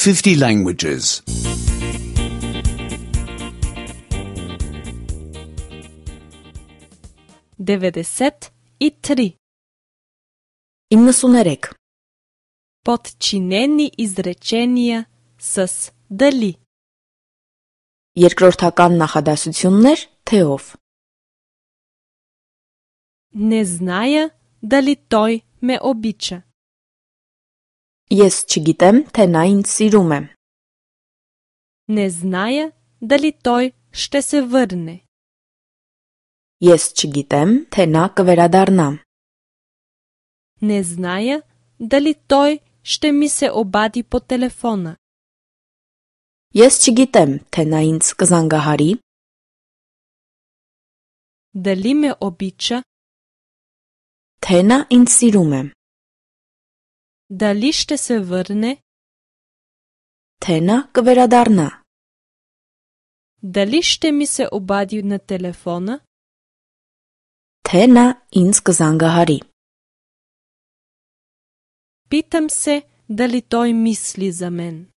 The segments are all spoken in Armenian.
50 languages. 93. 93. Подчинени изречения с дали. Երկրորդական նախադասություններ թեով. Не зная дали той ме обича. Ես չգիտեմ, թե նա ինձ սիրում է. Не зная дали той ще се върне. Ես չգիտեմ, թե նա կվերադառնա. Не зная дали той ще ми се обади по телефона. Ես չգիտեմ, թե նա ինձ կզանգահարի. Дали ме обича. Թե նա ինձ սիրում է. Дали ще се върне. Թե նա կվերադառնա. Дали ще ми се обади на телефона. Թե նա ինձ կզանգահարի. Питам се дали той мисли за мен.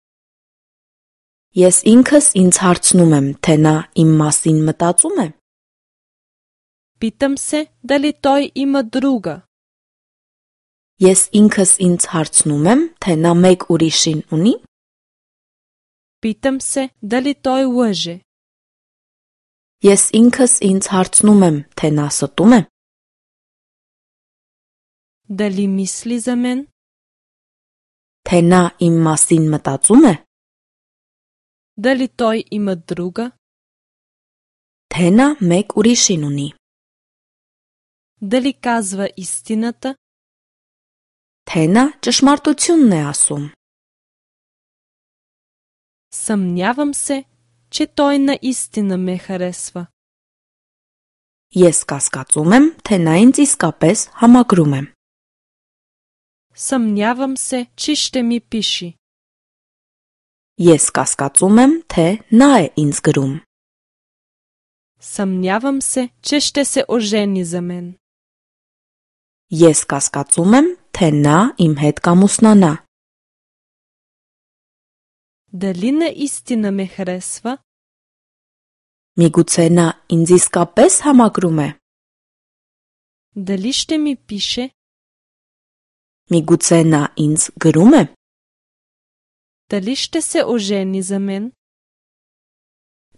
Ես ինքս ինձ հարցնում եմ, թե նա իմ մասին մտածում է. Питам се дали той има друга. Ես ինքս ինձ հարցնում եմ, թե նա մեկ ուրիշին ունի. Питам се дали той лъже. Ես ինքս ինձ հարցնում եմ, թե նա ստում է. Дали мисли за мен. Թե նա իմ մասին մտածում է. Дали той има друга. Թե նա մեկ ուրիշին ունի. Дали казва истината. Թե նա ճշմարտությունն է ասում. Съмнявам се, че той наистина ме харесва. Ես կասկածում եմ, թե նա ինձ իսկապես համակրում է. Съмнявам се, че ще ми пише. Ես կասկածում եմ, թե նա է ինձ գրում. Съмнявам се, че ще се ожени за мен. Ես կասկածում եմ, թե նա իմ հետ կամուսնանա. Дали наистина ме харесва? Միգուցե նա ինձ իսկապես համակրում է. Дали ще ми пише? Միգուցե նա ինձ գրում է. Дали ще се ожени за мен?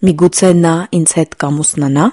Միգուցե նա ինձ հետ կամուսնանա.